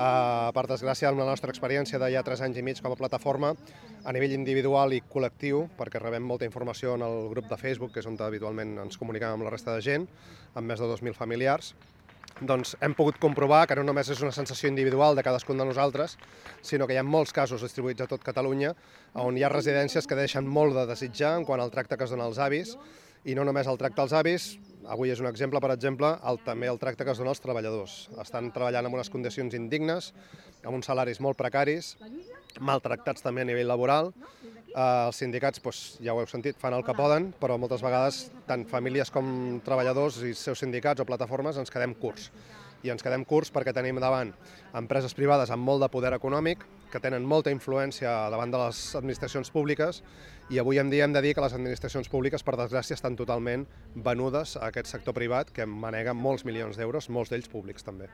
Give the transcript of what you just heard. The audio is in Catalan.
Per desgràcia, amb la nostra experiència de ja 3 anys i mig com a plataforma, a nivell individual i col·lectiu, perquè rebem molta informació en el grup de Facebook, que és on habitualment ens comunicam amb la resta de gent, amb més de 2.000 familiars, doncs hem pogut comprovar que no només és una sensació individual de cadascun de nosaltres, sinó que hi ha molts casos distribuïts a tot Catalunya on hi ha residències que deixen molt de desitjar en quant al tracte que es dona als avis, i no només el tracte als avis, avui és un exemple, per exemple, també el tracte que es dona als treballadors. Estan treballant en unes condicions indignes, amb uns salaris molt precaris, maltractats també a nivell laboral. Els sindicats, ja ho heu sentit, fan el que poden, però moltes vegades tant famílies com treballadors i seus sindicats o plataformes ens quedem curts. I ens quedem curts perquè tenim davant empreses privades amb molt de poder econòmic, que tenen molta influència davant de les administracions públiques, i avui en dia hem de dir que les administracions públiques, per desgràcia, estan totalment venudes a aquest sector privat que manega molts milions d'euros, molts d'ells públics també.